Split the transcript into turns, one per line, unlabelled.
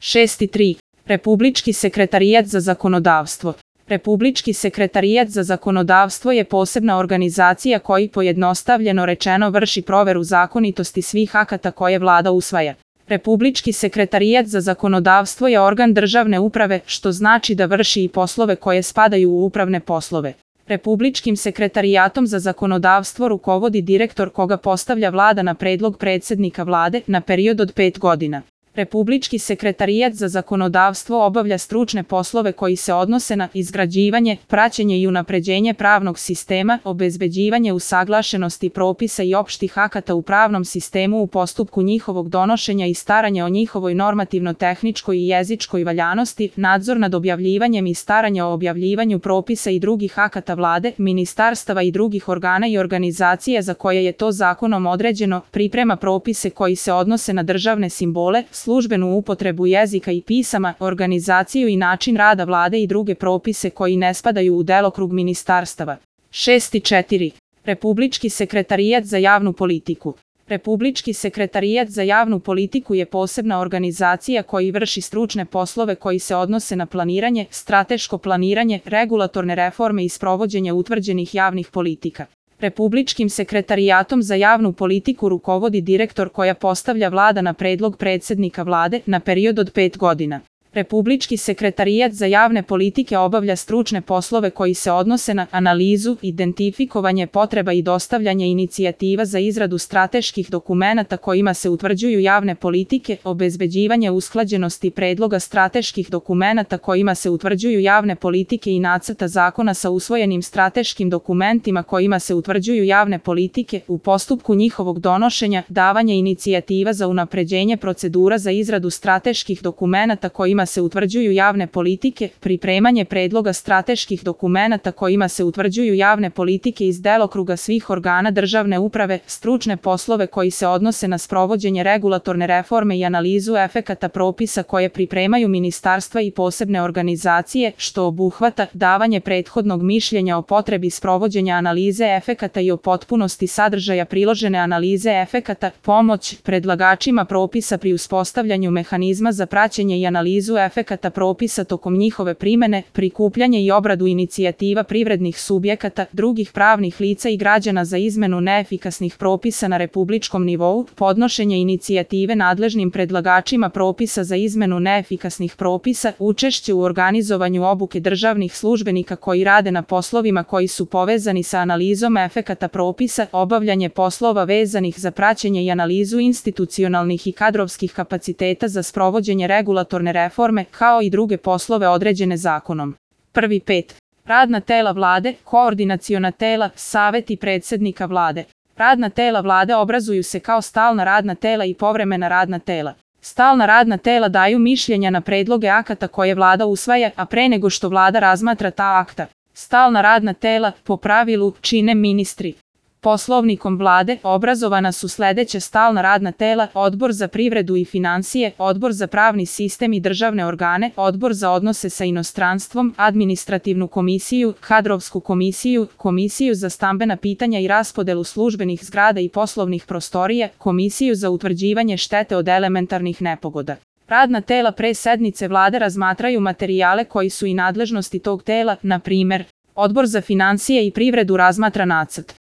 6.3. Republički sekretarijat za zakonodavstvo. Republički sekretarijat za zakonodavstvo je posebna organizacija koji pojednostavljeno rečeno vrši proveru zakonitosti svih akata koje vlada usvaja. Republički sekretarijat za zakonodavstvo je organ državne uprave, što znači da vrši i poslove koje spadaju u upravne poslove. Republičkim sekretarijatom za zakonodavstvo rukovodi direktor koga postavlja vlada na predlog predsjednika vlade na period od 5 godina. Republički sekretarijat za zakonodavstvo obavlja stručne poslove koji se odnose na izgrađivanje, praćenje i unapređenje pravnog sistema, obezbeđivanje usaglašenosti propisa i opštih akata u pravnom sistemu u postupku njihovog donošenja i staranje o njihovoj normativno-tehničkoj i jezičkoj valjanosti, nadzor nad objavljivanjem i staranje o objavljivanju propisa i drugih akata vlade, ministarstava i drugih organa i organizacija za koje je to zakonom određeno, priprema propise koji se odnose na državne simbole, službenu upotrebu jezika i pisama, organizaciju i način rada vlade i druge propise koji ne spadaju u delokrug ministarstava. 6.4. Republički sekretarijat za javnu politiku. Republički sekretarijat za javnu politiku je posebna organizacija koji vrši stručne poslove koji se odnose na planiranje, strateško planiranje, regulatorne reforme i sprovođenje utvrđenih javnih politika. Republičkim sekretarijatom za javnu politiku rukovodi direktor koja postavlja vlada na predlog predsjednika vlade na period od 5 godina. Republički sekretarijat za javne politike obavlja stručne poslove koji se odnose na analizu, identifikovanje potreba i dostavljanje inicijativa za izradu strateških dokumenata kojima se utvrđuju javne politike, obezbeđivanje usklađenosti predloga strateških dokumenata kojima se utvrđuju javne politike i nacrta zakona sa usvojenim strateškim dokumentima kojima se utvrđuju javne politike u postupku njihovog donošenja, davanje inicijativa za unapređenje procedura za izradu strateških dokumenata kojima se utvrđuju javne politike, pripremanje predloga strateških dokumenata kojima se utvrđuju javne politike iz delokruga svih organa državne uprave, stručne poslove koji se odnose na sprovođenje regulatorne reforme i analizu efekata propisa koje pripremaju ministarstva i posebne organizacije, što obuhvata davanje prethodnog mišljenja o potrebi sprovođenja analize efekata i o potpunosti sadržaja priložene analize efekata, pomoć predlagačima propisa pri uspostavljanju mehanizma za praćenje i analizu efekata propisa tokom njihove primene, prikupljanje i obradu inicijativa privrednih subjekata, drugih pravnih lica i građana za izmenu neefikasnih propisa na republičkom nivou, podnošenje inicijative nadležnim predlagačima propisa za izmenu neefikasnih propisa, učešće u organizovanju obuke državnih službenika koji rade na poslovima koji su povezani sa analizom efekata propisa, obavljanje poslova vezanih za praćenje i analizu institucionalnih i kadrovskih kapaciteta za sprovođenje regulatorne reforme, kao i druge poslove određene zakonom. 1.5. Radna tela vlade, koordinaciona tela, saveti predsjednika vlade. Radna tela vlade obrazuju se kao stalna radna tela i povremena radna tela. Stalna radna tela daju mišljenja na predloge akata koje vlada usvaja, a pre nego što vlada razmatra ta akta. Stalna radna tela, po pravilu, čine ministri. Poslovnikom vlade obrazovana su sledeća stalna radna tela: Odbor za privredu i finansije, Odbor za pravni sistem i državne organe, Odbor za odnose sa inostranstvom, Administrativnu komisiju, Kadrovsku komisiju, Komisiju za stambena pitanja i raspodelu službenih zgrada i poslovnih prostorija, Komisiju za utvrđivanje štete od elementarnih nepogoda. Radna tela pre sednice vlade razmatraju materijale koji su i nadležnosti tog tela, na primer, Odbor za finansije i privredu razmatra nacrt